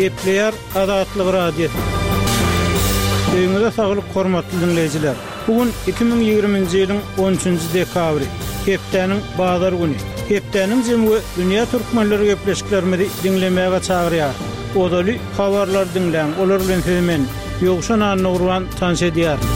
Gepleýär Azatlyk Radiosy. Öýüňize saglyk hormatly diňleýjiler. Bu gün 2020-nji ýylyň 13-nji dekabry, hepdäniň bazar güni. Hepdäniň jemi we dünýä türkmenleri gepleşiklerimizi diňlemäge çagyrýar. Ozaly habarlary diňläň, olar bilen sizi men, Ýowşan Annagurban tanyş edýärin.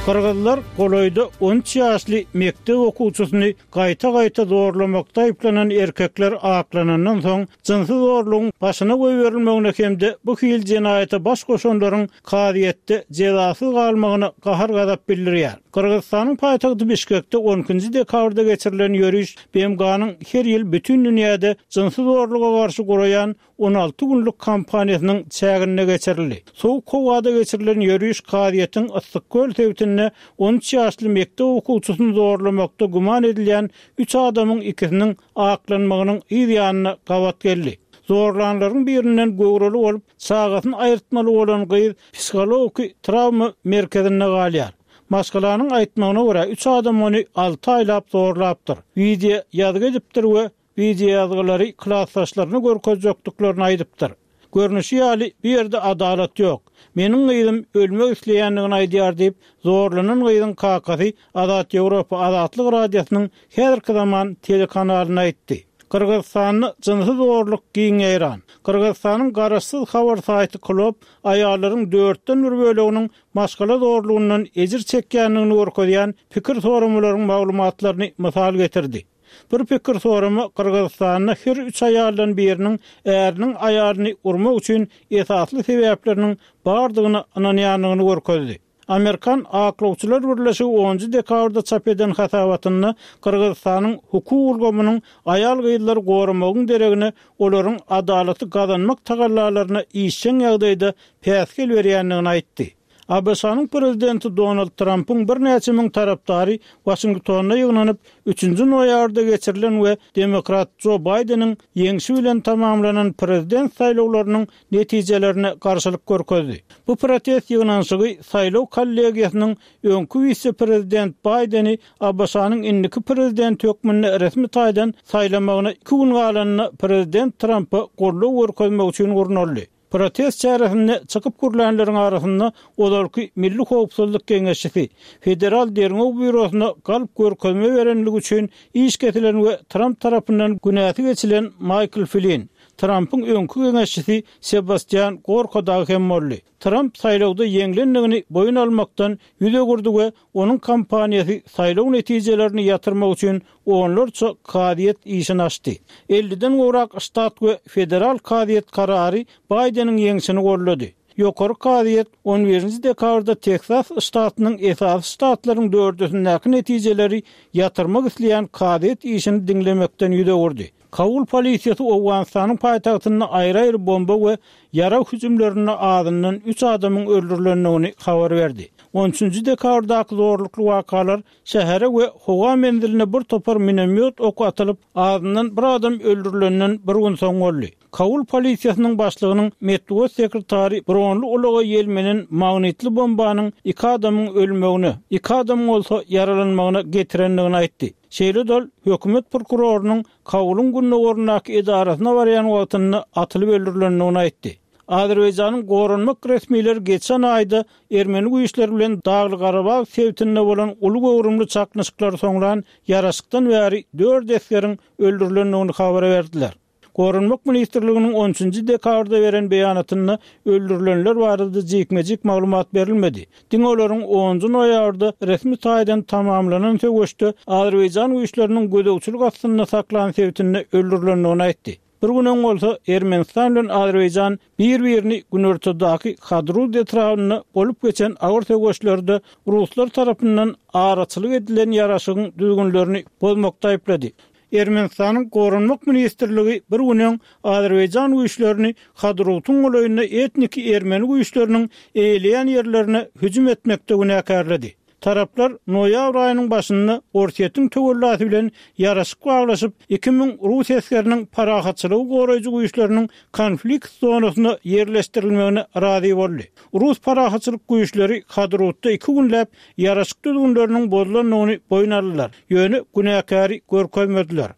Gyrgyzlar golaýda 13 ýaşly mekdep okuwçysyny gaýta-gaýta zorlamakda aýyplanan erkekler aklanandan soň, jynsy zorlugyň başyna goýberilmegine hem-de bu hili jenaýata baş goşanlaryň kazyýetde jezasyz galmagyna gahar-gazap bildirýär. Gyrgyzystanyň paýtagty Bişkekde on ikinji dekabrda geçirilen ýöriş BMG-niň her ýyl bütin dünýäde jynsy zorluga garşy guraýan 16 günlük kampaniýasynyň çäginde geçirildi. Sowuk howada geçirilen ýöriş kazyýetiň Yssyk-Köl sebitinde 13 ýaşly mekdep okuwçysyny zorlamakda güman edilýän üç adamyň ikisiniň aklanmagynyň yz ýanyna gabat geldi. Zorlanlaryň birinden göwreli bolup, çagasyny aýyrtmaly bolan gyz psihologiki trawma merkezinde galýar. Maşgalanyň aýtmagyna görä, üç adam ony alty aýlap zorlapdyr. Wideo ýazgy edipdir we Wideoýazgylary klasdaşlaryna görkezjekdiklerini aýdypdyr. Görnüşi ýaly, bu ýerde adalat ýok. Meniň gyzym ölmek isleýändigini aýdýar diýip, zorlanan gyzyň kakasy Azat Ýewropa Azatlyk Radiosynyň häzirki zaman telekanalyna aýtdy. Gyrgyzystanda jynsy zorluk giň ýaýran. Gyrgyzystanyň garaşsyz habar saýty Klob aýallaryň dörtden bir böleginiň maşgala zorlugyndan ejir çekýändigini görkezýän pikir soramalaryň maglumatlaryny mysal getirdi. Bir pikir sorama Gyrgyzystanda her üç aýaldan biriniň äriniň aýalyny urmak üçin esasly sebäpleriniň bardygyna ynanýandygyny görkezdi. Amerikan aklawçylar birleşigi onunjy dekabrda çap eden hasabatynda Gyrgyzystanyň hukuk ulgamynyň aýal-gyzlary goramagyň deregine olaryň adalaty gazanmak tagallalaryna işjeň ýagdaýda päsgel berýändigini aýtdy. ABŞ-nyň prezidenti Donald Trampyň birnäçe müň tarapdary Waşingtonda ýygnanyp, üçünji noýabrda geçirilen we demokrat Jo Baýdeniň ýeňşi bilen tamamlanan prezident saýlawlarynyň netijelerine garşylyk görkezdi. Bu protest ýygnanyşygy saýlaw kollegiýasynyň öňki wise-prezident Baýdeni ABŞ-nyň indiki prezidenti hökmünde resmi taýdan saýlamagyna iki gün galanda prezident Trampa goldaw görkezmek üçin gurnaldy. Protest çäresinde çykyp gürlänleriň arasynda ozalky Milli howpsuzlyk geňeşçisi, Federal derňew býurosyna galp görkezme berenligi üçin iş kesilen we Tramp tarapyndan günäsi geçilen Maýkl Flin, Trampyň öňki geňeşçisi Sebastian Gorka dagy hem boldy. Tramp saýlawda ýeňlendigini boýun almakdan ýüz öwürdi we onuň kampaniýasy saýlaw netijelerini ýatyrmak üçin onlarça kazyýet işini açdy. Elliden gowrak ştat we federal kazyýet karary Baýdeniň ýeňşini goldady. Ýokary kazyýet on birinji dekabrda Teksas ştatynyň esasy ştatlaryň dördüsindäki netijeleri ýatyrmak isleýän kazyýet işini diňlemekden ýüz öwürdi. Kabul polisiýasy Owganystanyň paýtagtynda aýry-aýry bomba we ýarag hüjümlerinde azyndan üç adamyň öldürilendigini habar berdi. On üçünji dekabrdaky zorlukly wakalar şähere we howa menziline bir topar minomýot oky atylyp, azyndan bir adam öldürilenden bir gün soň boldy. Kabul polisiýasynyň başlygynyň metbugat sekretary bronly ulaga ýelmenen magnitli bombanyň iki adamyň ölmegine, iki adamyň bolsa ýaralanmagyna getirendigini aýtdy. Şeýle-de ol hökümet prokurorynyň Kabulyň gündogaryndaky edarasyna barýan wagtynda atylyp öldürilendigini aýtdy. Azerbaýjanyň goranmak resmileri geçen aýda ermeni güýçleri bilen Dagly-Garabag sebitinde bolan uly göwrümli çaknyşyklary soňlan ýaraşykdan bäri dört esgeriň öldürilendigini habar berdiler. Goranmak ministrliginiň on üçünji dekabrda beren beýanatynda öldürilenler barada jikme-jik maglumat berilmedi. Diňe olaryň onunjy noýabrda resmi taýdan tamamlanan söweşde azerbaýjan güýçleriniň gözegçilik astynda saklan sebitinde öldürilendigini aýtdy. Bir gün öň bolsa Ermenistan bilen Azerbaýjan bir-birini günortadaky Hadrut etrabynda bolup geçen agyr söweşlerde ruslar tarapyndan araçylyk edilen ýaraşygyň düzgünlerini bozmakda aýyplady. Ermenistanyň Goranmak ministrligi bir gün öň azerbaýjan güýçlerini Hadrutyň golaýynda etniki ermeni güýçleriniň eýeleýän ýerlerine hüjüm etmekde günäkärledi. Taraplar noýabr aýynyň başynda Orsýetiň töwellasy bilen ýaraşyk baglaşyp, 2000 rus esgeriniň parahatçylygy goraýjy güýçleriniň konflikt zonasyna ýerleşdirilmegine razy boldy. Rus parahatçylyk güýçleri Hadrutda iki günläp ýaraşyk düzgünleriniň bozulandygyny boýun aldylar, ýöne günäkäri görkezmediler.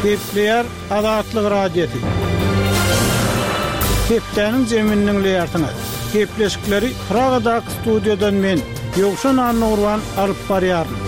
Gepleýär Azatlyk Radiosy. Hepdäniň jemini diňleýärsiňiz. Gepleşikleri Pragadaky studiýadan men, Ýowşan Annagurban alyp barýaryn.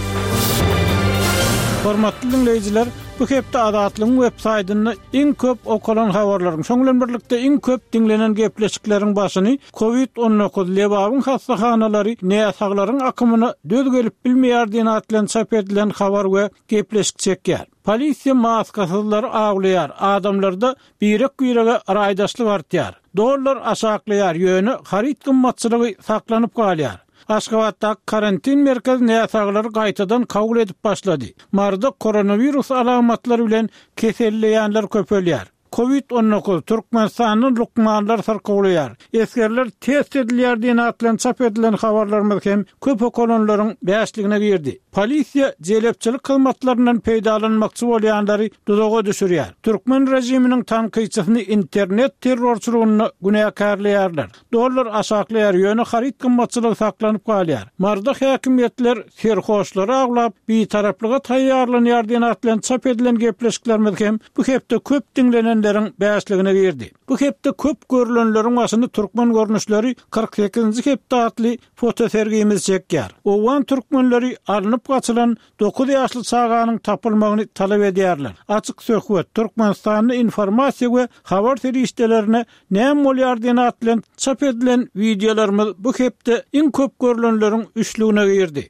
Hormatly diňleýjiler, bu hepde Azatlygyň web saýtynda iň köp okalan habarlaryň, şoň bilen birlikde iň köp diňlenen gepleşikleriň başyny Covid 19, Lebabyň hassahanalary näsaglaryň akymyna döz gelip bilmeýär diýen at bilen çap edilen habar we gepleşik çekýär. Polisiýa maskasyzlary awlaýar, adamlarda birek-birege raýdaşlyk artýar. Dollar aşaklaýar, ýöne haryt gymmatçylygy saklanyp galýar. Aşgabatdaky karantin merkezi näsaglary gaýtadan kabul edip başlady. Maryda koronawirus alamatlary bilen keselleýänler köpelýär. Covid 19, Türkmenistandan lukmanlar syrkawlaýar, esgerler test edilýär diýen at bilen çap edilen habarlarymyz hem köp okalanlaryň bäşligine girdi. Polisiýa jelepçilik hyzmatlaryndan peýdalanmakçy bolýanlary duzaga düşürýär. Türkmen režiminiň tankytçysyny internet terrorçylygynda günäkärleýärler. Dollar aşaklaýar, ýöne haryt gymmatçylygy saklanyp galýar. Maryda häkimiýetler serhoşlary awlap, bitaraplyga taýýarlanýar diýen at bilen çap edilen gepleşiklerimiz hem bu hepde köp diňlenenleriň bäşligine girdi. Bu hepde köp görlenleriň başyny Türkmen görnüşleri 48-nji hepde atly fotosergimiz çekýär. Owgan türkmenleri alnyp gaçylan dokuz ýaşly çaganyň tapylmagyny talap edýärler. Açyk söhbet, Türkmenistanda informasiýa we habar serişdelerine näme bolýar diýen at bilen çap edilen wideolarymyz bu hepde iň köp görlenleriň üçlügine girdi.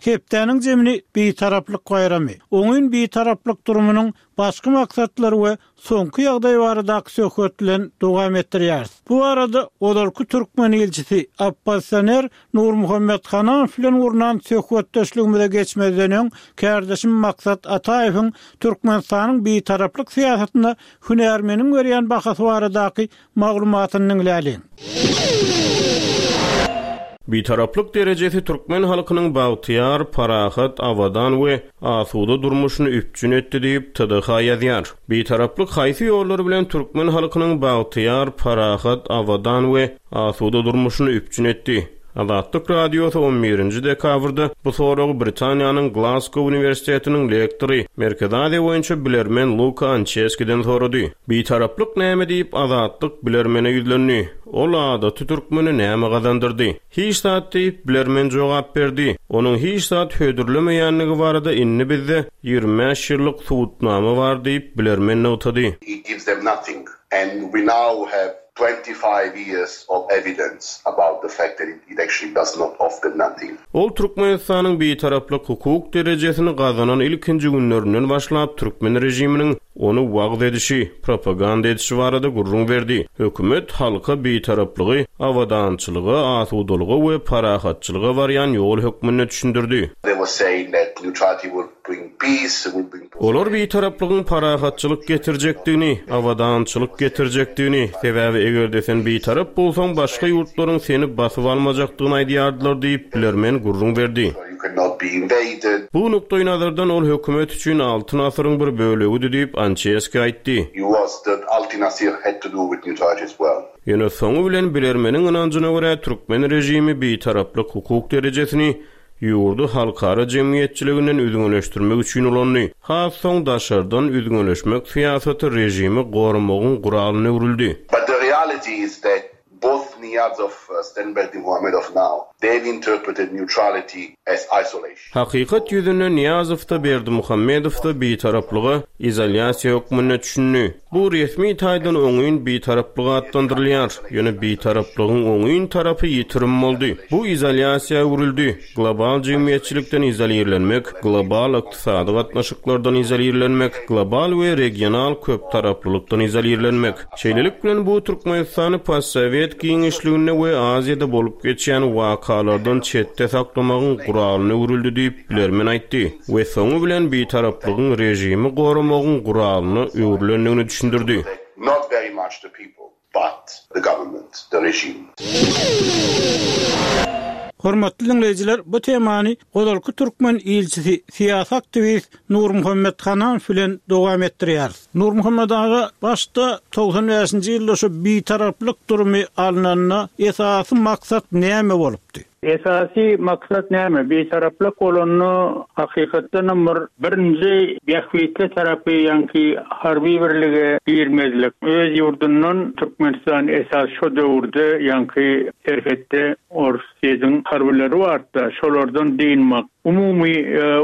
Hepdäniň jemini Bitaraplyk baýramy, oňyn Bitaraplyk durumynyň başky maksatlary we soňky ýagdaý baradaky söhbet bilen dowam etdirýäris. Bu barada ozalky türkmen ilçisi, oppozisioner Nurmuhammet Hananow bilen gurnan söhbetdeşligimize geçmezden öň, kärdeşim Maksat Ataýewiň Türkmenistanyň bitaraplyk syýasatyna hünärmeniň berýän bahasy baradaky maglumatyny diňläliň. Bitaraplyk derejesi türkmen halkynyň bagtyýar, parahat, abadan we asuda durmuşyny üpjün etdi diýip, TDH ýazýar. Bitaraplyk haýsy ýollar bilen türkmen halkynyň bagtyýar, parahat, abadan we asuda durmuşyny üpjün etdi? Azatlyk Radiosy on birinji dekabrda bu soragy Britaniýanyň Glasgow uniwersitetiniň lektory, Merkezi Aziýa boýunça bilermen Luka Ançeskiden sorady. Bitaraplyk näme diýip, Azatlyk bilermene ýüzlendi. Ol adaty türkmene näme gazandyrdy? Hiç zat diýip, bilermen jogap berdi. Onuň hiç zat hödürlemeýändigi barada indi bizde 25 ýyllyk subutnama bar diýip, bilermen nygtady. It gives them nothing and we now have 25 years of evidence about the fact that it actually does not offer nothing. Ol Türkmenistanyň Bitaraplyk hukuk derejesini gazanan ilkinji günlerinden başlap türkmen režiminiň ony wagyz edişi, propaganda edişi barada gürrüň berdi. Hökümet halka Bitaraplygy abadançylyga, asudalyga we parahatçylyga barýan ýol hökmünde düşündirdi. They were saying that neutrality will bring peace, will bring Olar bitaraplygyň parahatçylyk getirjekdigini, abadançylyk getirjekdigini, sebäbi eger-de sen bitarap bolsaň, başga ýurtlaryň seni basyp almajakdygyny aýdýardylar diýip, bilermen gürrüň berdi. Bu nukdaýnazardan ol hökümet üçin Altyn asyryň bir bölegidi diýip, Ançeski aýtdy. Ýöne soňy bilen bilermeniň ynanjyna görä, türkmen režimi bitaraplyk hukuk derejesini ýurdy halkara jemgyýetçiliginden üzňeleşdirmek üçin ulandy. Has soň daşardan üzňeleşmek syýasaty režimi goramagyň guralyna öwrüldi. But the reality is that both Niýazow and Berdimuhamedow now, they have interpreted neutrality as isolation. Hakykat ýüzünde Nyýazow-da, Berdimuhamedow-da bitaraplyga izolýasiýa hökmünde düşündi. Bu resmi taýdan oňyn bitaraplyk atlandyrylýar, ýöne bitaraplygyň oňyn tarapy ýitirim boldy. Bu izolýasiýa öwrüldi, global jemgyýetçilikden izolirlenmek, global ykdysady gatnaşyklardan izolirlenmek, global we regional köptaraplylykdan izolirlenmek. Şeýlelik bilen, bu Türkmenistany postsowet giňişliginde we Aziýada bolup geçýän wakalardan çetde saklamagyň guralyna öwrüldi diýip, bilermen aýtdy we soňy bilen bitaraplygyň režimi goramagyň guralyna öwrülendigini düşündirdi. But the government, the regime. Hormatly diňleýjiler, bu temany ozalky türkmen ilçisi, syýasy aktiwist Nurmuhammet Hananow bilen dowam etdirýäris. Nurmuhammet aga, başda 95-nji ýylda şu bitaraplyk durumy alnanda esasy maksat näme bolupdy? Esasy maksat näme? Bitaraplyk bolanda hakykatdanam bir birinji bähbitli tarapy ýaňky harby birlige girmezlik. Öz ýurdundan Türkmenistan esas şo döwürde ýaňky serhetde Orsýediň harbylary bardy-da, şolardan dynmak. Umumy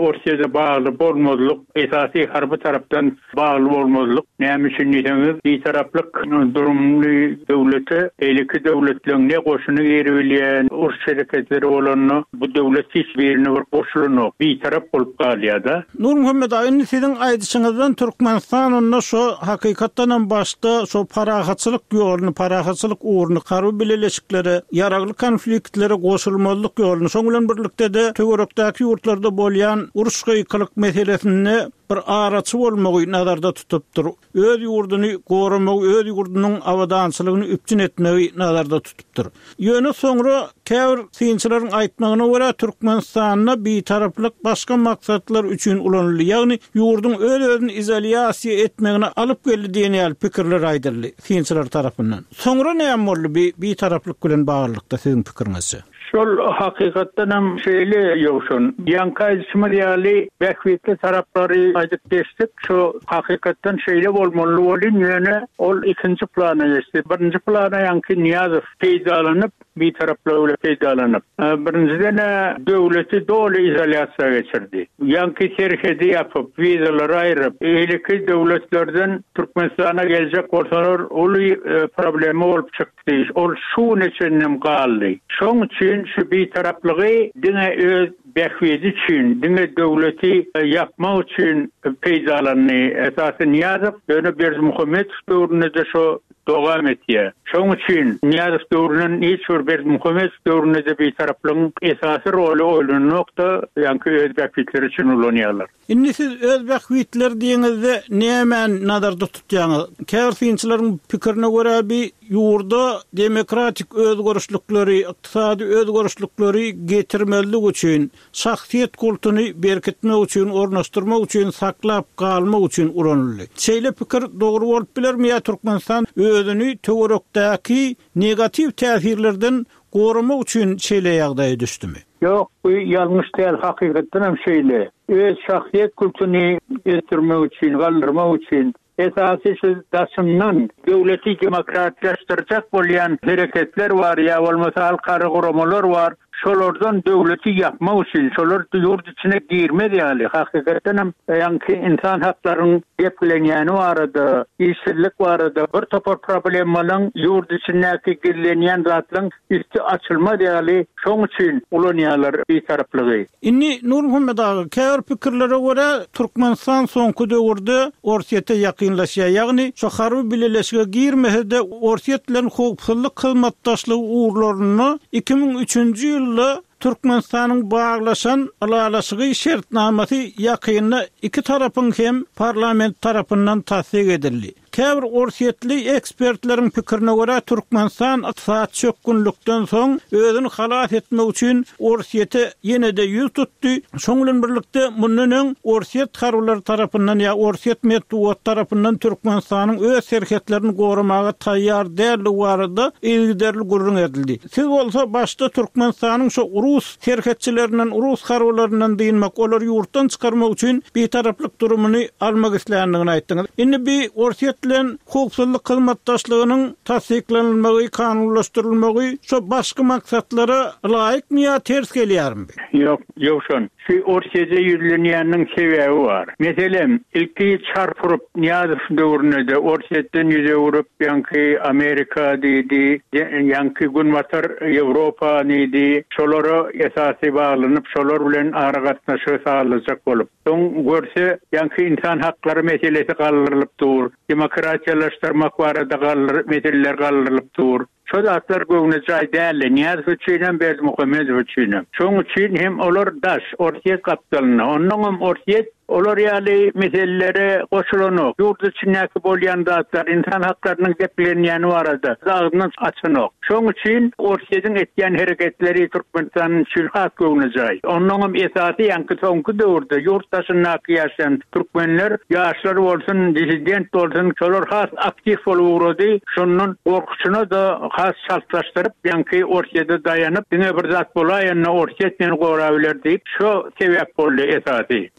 Orsýede bagly bolmazlyk, esasy harby tarapdan bagly bolmazlyk. Näme üçin diýseňiz, bitaraplyk durumly döwlete beýleki döwletleň ne goşuny giribilýär, uruş hereketleri bolanda bu döwlet hiç birine bir goşulanok, bitarap bolup galýar-da. Nurmuhammet aga, indi siziň aýdyşyňyzdan Türkmenistan onda şo hakykatdanam başda şo parahatçylyk ýoluny, parahatçylyk ugruny, harby bileleşiklere, ýaragly konfliktlere goşulmazlyk ýoluny, şoň bilen birlikde-de töwerekdäki ýurtlarda bolýan uruş-gykylyk meselesinde bir araçy bolmagy nazarda tutupdyr. Öz ýurduny goramagy, öz ýurdunyň abadançylygyny üpjün etmegi nazarda tutupdyr. Ýöne soňra käbir synçylaryň aýtmagyna görä, Türkmenistanda bitaraplyk başga maksatlar üçin ulanyldy, ýagny ýurduň öz-özüni izolýasiýa etmegine alyp geldi diýen ýaly pikirler aýdyldy synçylar tarapyndan. Soňra näme boldy bi bitaraplyk bilen baglylykda siziň pikiriňizçe? Şol hakykatdanam şeýle Ýowşan. Ýaňky aýdyşymyz ýaly bähbitli taraplary aýdyp geçdik. Şo hakykatdan şeýle bolmaly welin ýöne ol ikinji plana geçdi. Birinji plana ýaňky Nyýazow peýdalanyp, bitaraplygy bilen peýdalanyp. Birinjiden-ä döwleti doly izolýasiýa geçirdi. Ýaňky serhedi ýapyp, wizalary aýryp, beýleki döwletlerden Türkmenistana geljek bolsalar uly problema bolup çykdy. Ol şu güne çenlem galdy. Şoň üçin şu bitaraplygy diňe öz bähbidi üçin, diňe döwleti ýapmak üçin peýdalandy. Esasy Nyýazow, ýöne Berdimuhamedow döwründe-de şo dowam etýär. Şoň üçin Nyýazow döwründen hiç bir Berdimuhamedow döwründe-de bitaraplygyň esasy roly oýlananok-da, ýaňky öz bähbitleri üçin ulanýarlar. Indi siz öz bähbitleri diýeňizde nämäni nazarda tutýaňyz? Käbir synçylaryň pikirine görä bi ýurda demokratik özgerişlikleri, ykdysady özgerişlikleri getirmezlik üçin, şahsyýet kultuny berkitmek üçin, ornaşdyrmak üçin, saklap galmak üçin ulanyldy. Şeýle pikir dogry bolup bilermi ýa Türkmenistan özüni töwerekdäki negatiw täsirlerden goramak üçin şeýle ýagdaýa düşdümi? Ýok, bu ýalňyş däl, hakykatdanam şeýle. Öz şahsyýet kultuny ösdürmek üçin, galdyrmak üçin, esasy şu daşyndan döwleti demokratlaşdyrjak bolýan hereketler bar ýa bolmasa halkara guramalar bar, şolardan döwleti ýapmak üçin, şolar ýurt içine girmez ýaly, hakykatdanam ýaňky ynsan haklaryň depgilenýäni barada, işsizlik barada bir topar problemalaň ýurt içindäki gizlenýän zatlaň üsti açylmaz ýaly şoň üçin ulanýarlar bitaraplygy. Indi Nurmuhammet aga, käbir pikirlere görä, Türkmenistan soňky döwürde Orsýete ýakynlaşýar, ýagny şu harby bileleşige girmese-de Orsýet bilen howpsuzlyk hyzmatdaşlygy ugurlarynda 2003-nji ýylda Türkmenistanyň baglaşan ylalaşygy şertnamasy ýakynda iki tarapyň hem parlament tarapyndan tassyk edildi. Käbir orsýetli ekspertleriň pikirine görä, Türkmenistan ykdysady çökgünlikden soň özüni halas etmek üçin Orsýete ýene-de ýüz tutdy. Şoň bilen birlikde, mundan öň orsýet harbylary tarapyndan ýa orsýet metbugaty tarapyndan Türkmenistanyň öz serhetlerini goramaga taýýar däldigi barada yzygiderli gürrüň edildi. Siz bolsa başda Türkmenistanyň şo rus serhetçilerinden, rus harbylaryndan dynmak, olary ýurtdan çykarmak üçin bitaraplyk durumyny almak isländigini aýtdyňyz. Indi bi Orsýet bilen howpsuzlyk hyzmatdaşlygynyň tassyklanylmagy, kanunlaşdyrylmagy şo başky maksatlara laýykmy ýa ters gelýärmi bi? Ýok, Ýowşan. Şu Orsýede ýüzlenýäniniň sebäbi bar. Meselem, ilki çarp urup Nyýazow döwründe-de Orsýetden ýüz öwrüp, ýaňky Amerika diýdi, ýaňky Günbatar Ýewropa diýdi, şolara esasy baglanyp, şolar bilen aragatnaşygy sazlajak bolup. Soň görse, ýaňky ynsan haklary meselesi galdyrylyp dur, demokratiýalaşdyrmak barada galdyr meseleler galdyrylyp dur. Şo zatlar göwnejaý däldi, Nyýazow üçinem, Berdimuhamedow üçinem. Şoň üçin hem olar daş, Orsýet gapdalynda. Onnoňam Orsýet. Olar ýaly meselelere goşulanok. Ýurt içindäki bolýan zatlar, ynsan haklarynyň depgilenýäni barada agzyny açanok. Şoň üçin Orsýetiň etýän hereketleri Türkmenistan üçin has göwnejaý. Onnoňam esasy ýaňky soňky döwürde ýurt daşyndaky ýaşaýan türkmenler, ýaşlar bolsun, dissident bolsun, şolar has aktiw bolup ugrady. Şondan gorkusyna-da has çaltlaşdyryp, ýaňky Orsýete daýanyp, diňe bir zat bolaýanda Orsýet meni gorabiler diýip, şo sebäp boldy esasy.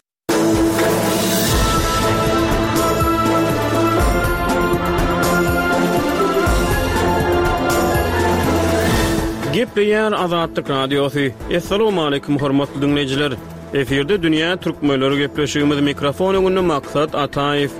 Gepleýär Azatlyk Radiosy. Assalamualaikum hormatly diňleýjiler. Efirde dünýä türkmenleri gepleşigimiz mikrofon öňünde Maksat Ataýew.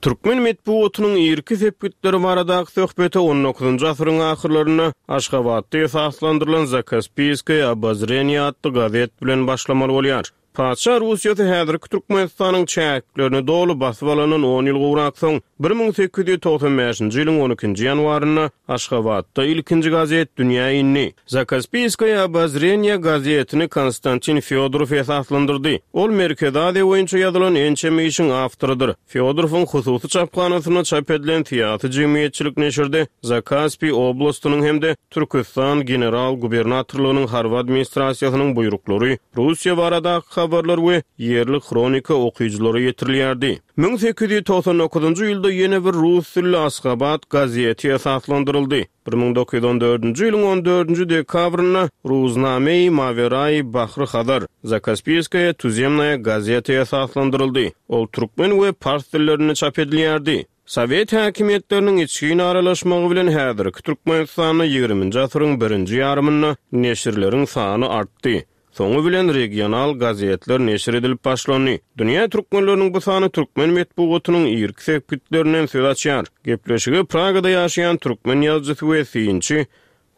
Türkmen metbugatynyň irki sepgitleri baradaky söhbete on dokuzynjy asyryň ahyrlarynda Aşgabatda esaslandyrylan Zakaspiýskoýe obozreniýe atly gazet bilen başlamaly bolýar. Patyşa Russiýasy häzirki Türkmenistanyň çäklerini doly basyp alandan on ýyl gowrak soň, 1895-nji ýylyň on ikinji ýanwarynda Aşgabatda ilkinji gazet dünýä indi. Zakaspiýskoýe obozreniýe gazetini Konstantin Fýodorow esaslandyrdy. Ol Merkezi Aziýa boýunça ýazylan ençeme işiň awtorydyr. Fýodorowyň hususy çaphanasynda çap edilen syýasy-jemgyýetçilik neşirde Zakaspiý oblastynyň hem-de Türküstan general-gubernatorlygynyň harby administrasiýasynyň buýruklary, Russiýa baradaky habarlar we ýerli hronika okyjylara ýetirilýärdi. 1899-njy ýylda ýene bir rus dilli Asgabat gazeti esaslandyryldy. 1914-nji ýylyň on dördünji dekabrynda Ruznamei Mawerai Bahry Hazar, Zakaspiýskaýa tuzemnaýa gazeta esaslandyryldy. Ol türkmen we pars dillerinde çap edilýärdi. Sowet häkimiýetleriniň içgin aralaşmagy bilen häzirki Türkmenistanda ýigriminji asyryň birinji ýarymynda neşirleriň sany artdy. Soňy bilen regional gazetler neşir edilip başlandy. Dünýä türkmenleriniň bu sany türkmen metbugatynyň irki sepgitlerinden söz açýar. Gepleşige Pragada ýaşaýan türkmen ýazyjysy we synçy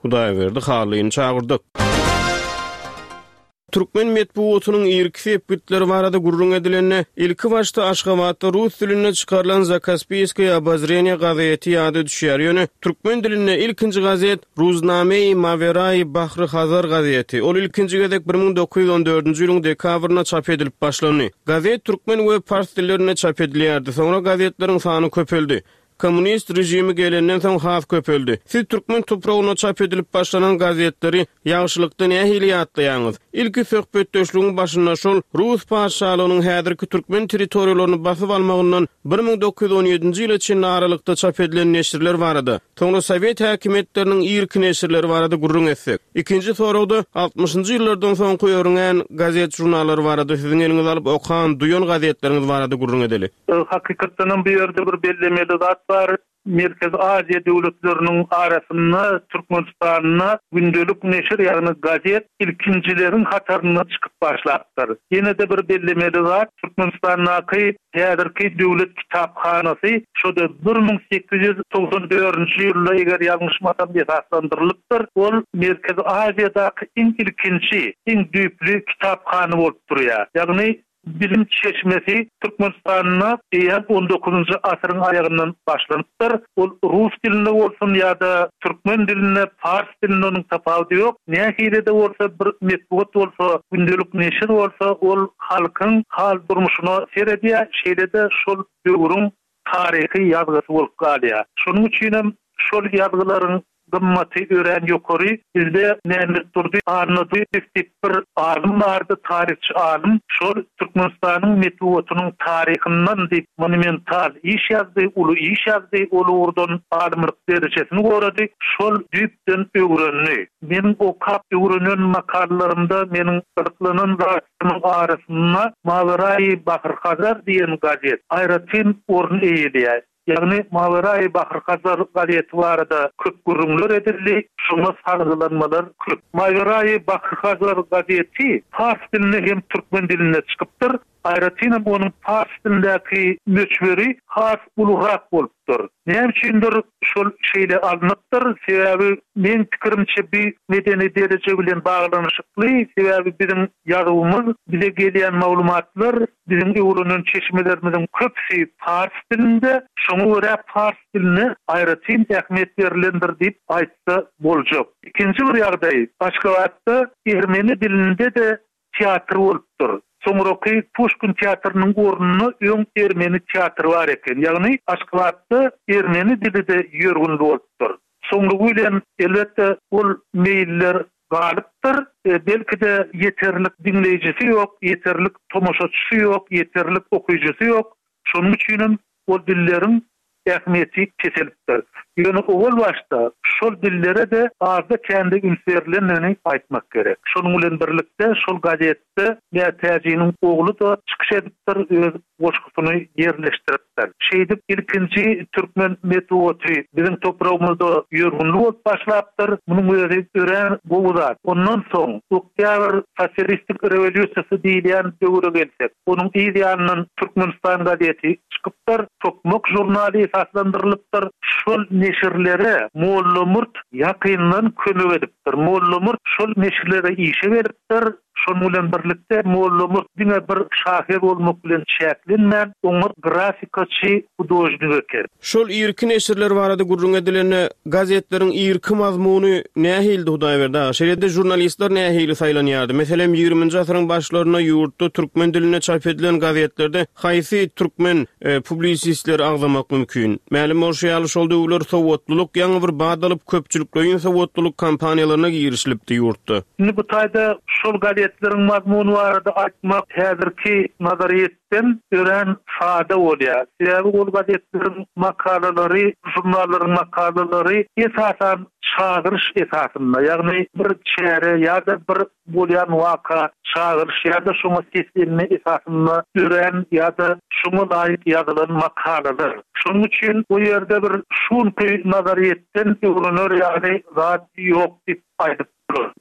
Hudaýberdi Hallyny çagyrdyk. Türkmen metbugatynyň irki sepgitleri barada gürrüň edilende, ilki başda Aşgabatda rus dilinde çykarylan Zakaspiýskoýe obozreniýe gazeti ýada düşýär. Ýöne türkmen dilinde ilkinji gazet Ruznamei Mawerai Bahry Hazar gazeti. Ol ilkinji gezek 1914-nji ýylyň dekabrynda çap edilip başlandy. Gazet türkmen we pars dillerinde çap edilýärdi. Soňra gazetleriň sany köpeldi. Kommunist režimi gelenden soň has köpeldi. Siz türkmen topragynda çap edilip başlanan gazetleri ýagşylykda nähili ýatlaýaňyz? Ilki söhbetdeşligiň başynda şol rus patyşalygynyň häzirki türkmen territoriýalaryny basyp almagyndan 1917-nji ýyla çenli aralykda çap edilen neşirler barada, soňra sowet häkimiýetleriniň irki neşirleri barada gürrüň etsek. Ikinji soragda altmyşynjy ýyllardan soňky örňän gazet-žurnallar barada siziň eliňize alyp okan, duýan gazetleriňiz barada gürrüň edeli. Hakykatdanam bu ýerde bir bellemeli zat bar. Merkezi Aziýa döwletleriniň arasynda Türkmenistanda gündelik neşir, ýagny gazet ilkinjileriň hatarynda çykyp başlapdyr. Ýene-de bir bellemeli zat, Türkmenistandaky häzirki döwlet kitaphanasy şo-da 1894-nji ýylda, eger ýalňyşmasam, esaslandyrylypdyr. Ol Merkezi Aziýadaky iň ilkinji, iň düýpli kitaphana bolup durýar. Ýagny Bilim çeşmesi Türkmenistanda eýýäm on dokuzynjy asyryň aýagyndan başlanypdyr. Ol rus dilinde bolsun ýa-da türkmen dilinde, pars dilinde onuň tapawudy ýok. Nähili-de bolsa bir metbugat bolsa, gündelik neşir bolsa, ol halkyň hal-durmuşyna seredýär, şeýle-de şol döwrüň taryhy ýazgysy bolup galýar. Şonuň üçinem şol ýazgylaryň gymmaty örän ýokary. Bizde Mämmetdurdy Annadyýew diýip bir alym bardy, taryhçy alym. Şol Türkmenistanyň metbugatynyň taryhyndan diýip monumental iş ýazdy, uly iş ýazdy, ol ugurdan alymlyk derejesini gorady. Şol düýpden öwrendi. Meniň okap öwrenen makalalarymda meniň gyzyklanan zatlarymyň arasynda Maweraýy Bahr Hazar diýen gazet aýratyn orun eýeleýär. Ýagny Maweraýy Bahr Hazar gazeti barada köp gürrüňler edildi, şoňa salgylanmalar köp. Maweraýy Bahr Hazar gazeti pars dilinde hem türkmen dilinde çykypdyr. Aýratynam onuň pars dilindäki möçberi has ulurak bolupdyr. Näme üçindir şol şeýle alnypdyr, sebäbi meň pikirimçe bi medeni dereje bilen baglanyşykly, sebäbi biziň ýazuwymyz, bize gelýän maglumatlar, biziň öwrenen çeşmelerimiziň köpüsi pars dilinde, şoňa görä pars diline aýratyn ähmiýet berlendir diýip aýtsa boljak. Ikinji bir ýagdaý, Aşgabatda ermeni dilinde-de teatr bolupdyr. Soňraky Puşkin teatrynyň ornunda öň ermeni teatry bar eken. Ýagny Aşgabatda ermeni dili-de ýörgünli bolupdyr. Soňlugy bilen, elbetde, ol meýiller galypdyr. Belki-de, ýeterlik diňleýjisi ýok, ýeterlik tomaşaçysy ýok, ýeterlik okyjysy ýok. Şonuň üçinem ol dilleriň ähmiýeti peselipdir. Ýöne owal başda şol dillere-de azda-kände üns berlendigini aýtmak gerek. Şonuň bilen birlikde şol gazetde Mätäjiniň ogly-da çykyş edipdir, öz goşgusyny ýerleşdiripdir. Şeýdip, ilkinji türkmen metbugaty biziň topragymyzda ýörgünli bolup başlapdyr. Munuň özi örän gowy zat. Ondan soň Oktýabr sosialistik rewolýusiýasy diýilýän döwre gelsek, onuň yz ýanyndan Türkmenistan gazeti çykypdyr, Tokmak žurnaly esaslandyrylypdyr. Şol neşirlere Mollamurt ýakyndan kömek edipdir. Mollamurt şol neşirlere işe gelipdir. Şonuň bilen birlikde Mollamurt diňe bir şahyr bolmak bilen çäklenmän, oňat grafikaçy, hudožnik eken. Şol irki neşirler barada gürrüň edilende, gazetleriň irki mazmuny nähilidi Hudaýberdi aga? Şeýle-de žurnalistler nähili saýlanýardy? Meselem, ýigriminji asyryň başlarynda ýurtda türkmen dilinde çap edilen gazetlerde haýsy türkmen publisistleri agzamak mümkin? Mälim bolşy ýaly, şol döwürler sowatlylyk ýaňy bir bat alyp, köpçülikleýin sowatlylyk kampaniýalaryna girişilipdi ýurtda. Indi bu taýda şol gazetleriň mazmuny barada aýtmak häzirki nazaryýet Den örän sada bolýar. Sebäbi ol gazetleriň makalalary, žurnallaryň makalalary esasan çagyryş esasynda, ýagny bir çäre ýa-da bir bolýan waka çagyryş ýa-da şoňa seslenme esasynda dörän ýa-da şoňa laýyk ýazylan makalalar. Şonuň üçin o ýerde bir şu günki nazaryýetden öwrener ýaly zat ýok diýip aýdyp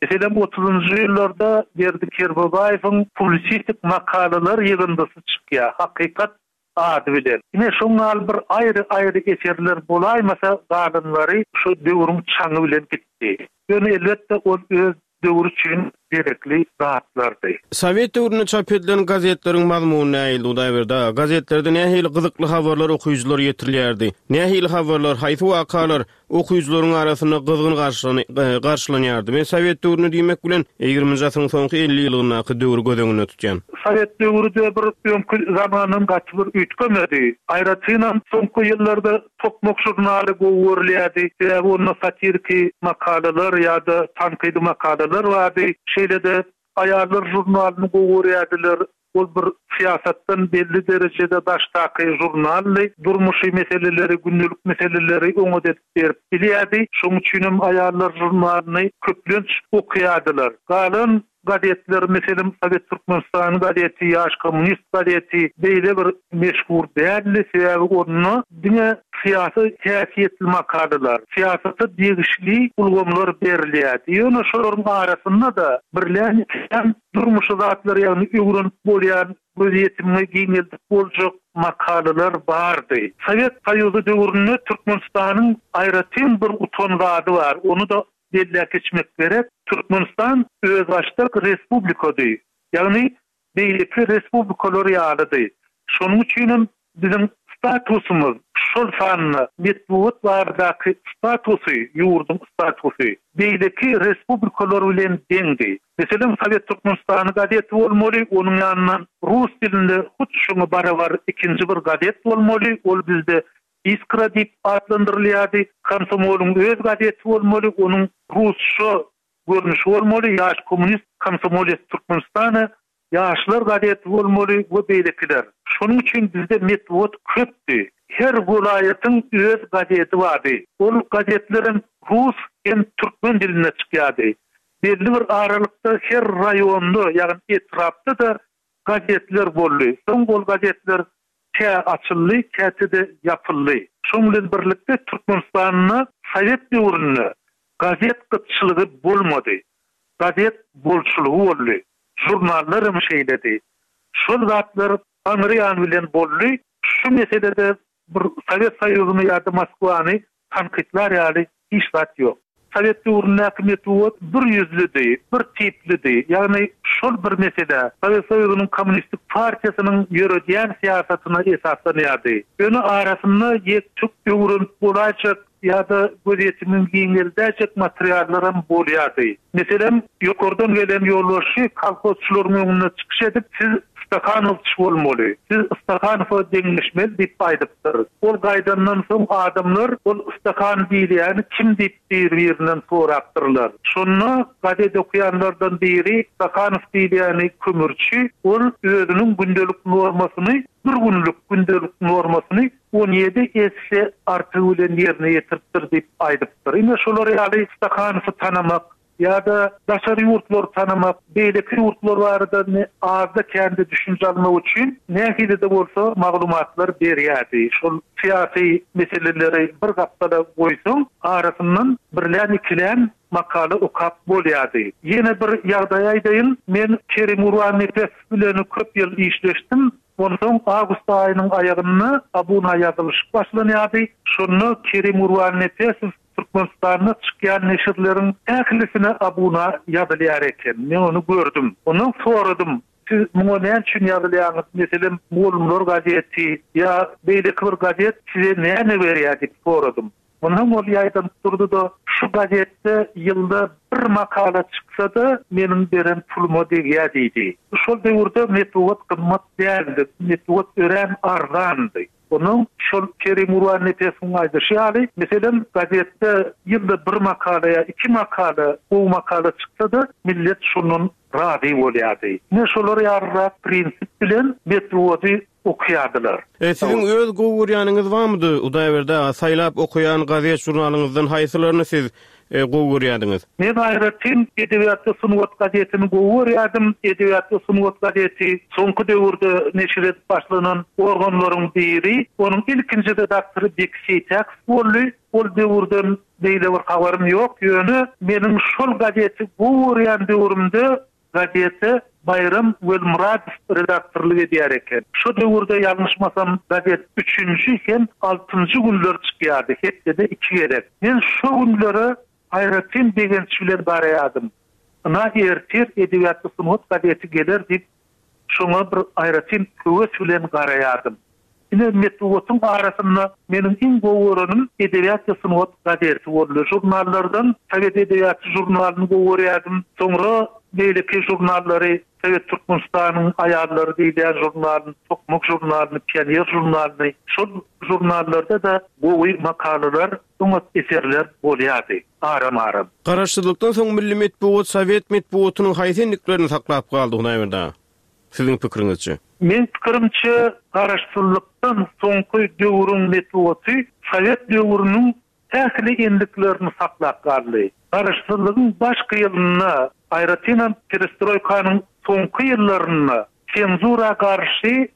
Meselem, otuzynjy ýyllarda Berdi Kerbabaýewiň publisistik makalalar ýygyndysy çykýar, Hakykat ady bilen. Ine, şoň ýaly bir aýry-aýry eserler bolaýmasa, galanlary şo döwrüň çaňy bilen gitdi. Ýöne, elbetde, ol öz döwri üçin gerekli zatlardy. Sowet döwründe çap edilen gazetleriň mazmuny nähildi, Hudaýberdi aga? Gazetlerde nähili gyzykly habarlar okyjylara ýetirilýärdi? Nähili habarlar, haýsy wakalar okyjylaryň arasynda gyzgyn garşylanýardy. Men sowet döwrüni diýmek bilen, ýigriminji asyryň soňky 50 ýyllygyndaky döwri göz öňünde tutýan. Sowet döwri-de bir öňki zamandan gaty bir üýtgemedi. Aýratynam, soňky ýyllarda Tokmak žurnaly gowy görülýärdi. Sebäbi onda satiriki makalalar ýa-da tankydy makalalar bardy. Şeýle-de Aýallar žurnalyny gowy görýärdiler. Ol bir syýasatdan belli derejede daşdaky žurnaldy. Durmuşy meseleleri, gündelik meseleleri oňat edip berip bilýärdi. Şonuň üçinem Aýallar žurnalyny köplenç okaýardylar. Galan gazetler, meselem, Sowet Türkmenistany gazeti, Ýaş kommunist gazeti beýle bir meşhur däldi. Sebäbi onda diňe syýasy häsiýetli makalalar, syýasata degişli ulgamlar berilýärdi. Ýöne şolaryň arasynda-da birlän-ikilän Durmuşy zatlar ýagny öwrenip bolýan, gözýetimiňi giňeldip boljak makalalar bardy. Sowet Soýuzy döwründe Türkmenistanyň aýratyn bir utan zady bar, ony-da belläp geçmek gerek. Türkmenistan özbaşdak respublikady, ýagny beýleki respublikalar ýalydy. Şonuň üçinem Biziň statusymyz, şol sanda metbugat baradaky statusy, ýurduň statusy beýleki respublikalar bilen deňdi. Meselem, Sowet Türkmenistany gazeti bolmaly, onuň ýanyndan rus dilinde hut şoňa barabar ikinji bir gazet bolmaly, ol bizde Iskra diýip atlandyrylýardy. Komsomolyň öz gazeti bolmaly, onuň rusça görnüşi bolmaly, Ýaş kommunist, Komsomolec Türkmenistana, Ýaşlar gazeti bolmaly we beýlekiler. Şonuň üçin bizde metbugat köpdi. Her welaýatyň öz gazeti bardy. Ol gazetlerem rus hem türkmen dilinde çykýardy. Belli bir aralykda her raýonda, ýagny etrapda-da gazetler boldy. Soň ol gazetler kä açyldy, käte-de ýapyldy. Şonuň bilen birlikde Türkmenistanda sowet döwründe gazet gytçylygy bolmady. Gazet bolçulygy boldy. Žurnallar hem şeýledi. Şol zatlar aňry ýany bilen boldy. Şu meselede bir Sowet Soýuzyny ýa-da Moskwany tankytlar ýaly hiç zat ýok. Sowet döwründäki metbugat bir ýüzlüdi, bir tiplidi. Ýagny şol bir mesele, Sowet Soýuzynyň Kommunistik partiýasynyň ýöredýän syýasatyna esaslanýardy. Ýöne arasynda ýek-tük öwrenip bolaýjak ýa-da gözýetimiňi giňeldäýjek materiallaram bolýardy. Meselem, ýokardan gelen ýolbaşçy kolhozçylaryň öňünde çykyş edip, siz Stahanowçy bolmaly, siz Stahanowa deňleşmeli diýip aýdypdyr. Ol gaýdandan soň adamlar ol Stahan diýilýäni kim diýip bir-birinden sorapdyrlar. Şonda gazet okaýanlardan biri Stahanow diýilýäni kömürçi, ol özüniň gündelik normasyny bir günlük gündelik normasyny 17 esse artygy bilen ýerine ýetiripdir diýip aýdypdyr. Ine şolar ýaly Stahanowy tanamak ýa-da daşary ýurtlary tanamak, beýleki ýurtlar barada azda-kände düşünje almak üçin nähili-de bolsa maglumatlar berýärdi. Şol syýasy meseleleri bir gapdala goýsaň, arasyndan birlän-ikilän makala okap bolýardy. Ýene bir ýagdaý aýdaýyn, men Kerim Gurbannepesow bilen köp ýyl işleşdim. Onsoň awgust aýynyň aýagynda abuna ýazylyşyk başlanýardy. Şonda Kerim Gurbannepesow Türkmenistanda çykýan neşirleriň ählisine abuna ýazylýar eken. Men ony gördüm. Ondan soradym, Siz muňa näme üçin ýazylýaňyz? Meselem, Mugallymlar gazeti ýa beýleki bir gazet size näme berýär diýip soradym. Onsoň ol ýaýdanyp durdy-da, Şu gazetde ýylda bir makala çyksa-da, meniň beren puluma degýär diýdi. Şol döwürde metbugat gymmat däldi, metbugat örän arzandy. Onuň şol Kerim Gurbannepesowyň aýdyşy ýaly, meselem, gazetde ýylda bir makala ýa iki makala, gowy makala çyksa-da, millet şondan razy bolýardy. Ine, şolar ýalyrak prinsip bilen metbugady okaýardylar. E, siziň öz gowy görýäniňiz barmydy, Hudaýberdi aga, saýlap okaýan gazet-žurnalyňyzdan haýsylaryny siz gowy görýärdiňiz? Men aýratyn Edebiýat we sungat gazetini gowy görýärdim. Edebiýat we sungat gazeti soňky döwürde neşir edip başlanan organlaryň biri. Onuň ilkinji redaktory Beki Seýtäkow boldy. Ol döwürden beýle bir habarym ýok, ýöne meniň şol gazeti gowy görýän döwrümde Gazete Baýram Welmyradow redaktorlyk edýär eken. Şo döwürde ýalňyşmasam gazet üçünji hem altynjy günler çykýardy, hepdede iki gezek. Men şo günlere aýratyn begenç bilen garaýardym. Ynha ertir Edebiýat we sungat gazeti geler diýip şoňa bir aýratyn höwes bilen garaýardym. Ine, metbugatyň arasynda meniň iň gowy görenim Edebiýat we sungat gazeti boldy. Žurnallardan Sowet edebiýaty žurnalyny gowy görýärdim. Soňra beýleki žurnallary, Sowet Türkmenistanyň aýallary diýilýän žurnalyny, Tokmak žurnalyny, Pioner žurnalyny, şol žurnallarda-da gowy makalalar, oňat eserler bolýardy aram-aram. Garaşsyzlykdan soň milli metbugat sowet metbugatynyň haýsy endiklerini saklap galdy, Hudaýberdi aga? Siziň pikiriňizçe? Meň pikirimçe, garaşsyzlykdan soňky döwrüň metbugaty sowet döwrüniň ähli endiklerini saklap galdy. Garaşsyzlygyň başky ýylynda, aýratynam perestroýkanyň soňky ýyllarynda senzura garşy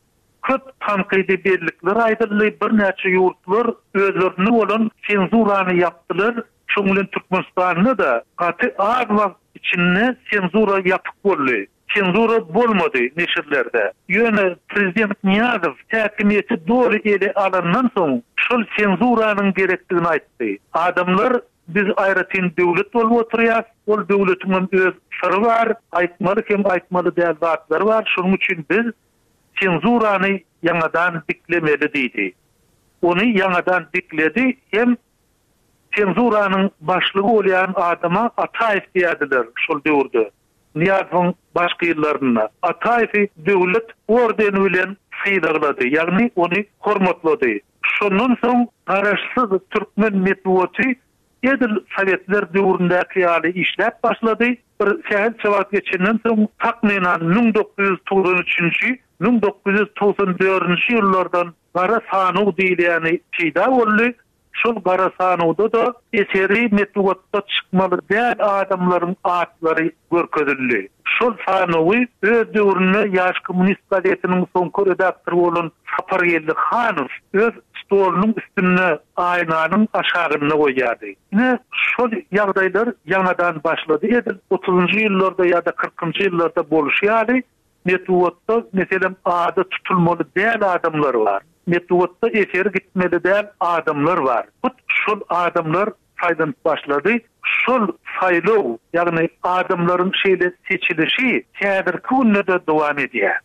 köp tankydy bellikler aýdyldy, birnäçe ýurtlar özlerinde bolan senzurany ýapdylar, şoň bilen Türkmenistanda-da gaty az wagt içinde senzura ýapyk boldy. Senzura bolmady neşirlerde. Ýöne prezident Nyýazow häkimiýeti doly ele alandan soň şol senzuranyň gerekdigini aýtdy. Adamlar biz aýratyn döwlet bolup oturýas, ol döwletiňem öz syry bar, aýtmaly hem aýtmaly däl zatlary bar, şonuň üçin biz senzurany ýaňadan diklemeli diýdi. Ony ýaňadan dikledi hem senzuranyň başlygy bolýan adama Ataýew diýerdiler şol döwürde. Nyýazowyň başky ýyllarynda Ataýewi döwlet ordeni bilen sylaglady, ýagny ony hormatlady. Şondan soň garaşsyz türkmen metbugaty edil sowetler döwründäki ýaly işläp başlady. Bir sähelçe wagt geçenden soň, takmynan 1993-nji, 1994-nji ýyllardan gara sanaw diýilýäni peýda boldy. Şol gara sanawda-da eseri metbugatda çykmaly däl adamlaryň atlary görkezildi. Şol sanawy öz döwründe Ýaş kommunist gazetiniň soňky redaktory bolan Sapargeldi Hanow öz stolunyň üstünde aýnanyň aşagynda goýýardy. Ine, şol ýagdaýlar ýaňadan başlady, edil otuzynjy ýyllarda ýa-da kyrkynjy ýyllarda bolşy ýaly. Metbugatda, meselem, ady tutulmaly däl adamlar bar. Metbugatda eseri gitmeli däl adamlar bar. Hut şol adamlar saýlanyp başlady. Şol saýlaw, ýagny adamlaryň şeýle seçilişi häzirki günde-de dowam edýär.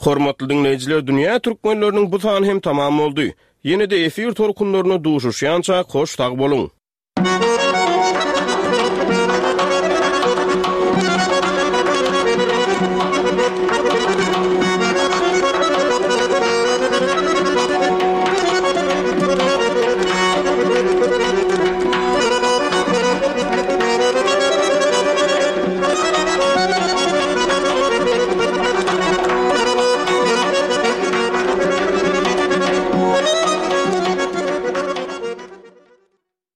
Hormatly diňleýjiler Dünýä Türkmenleriniň bu sany hem tamam boldy. Ýene-de efir tolkunlarynda duşuşýançak hoş sag boluň.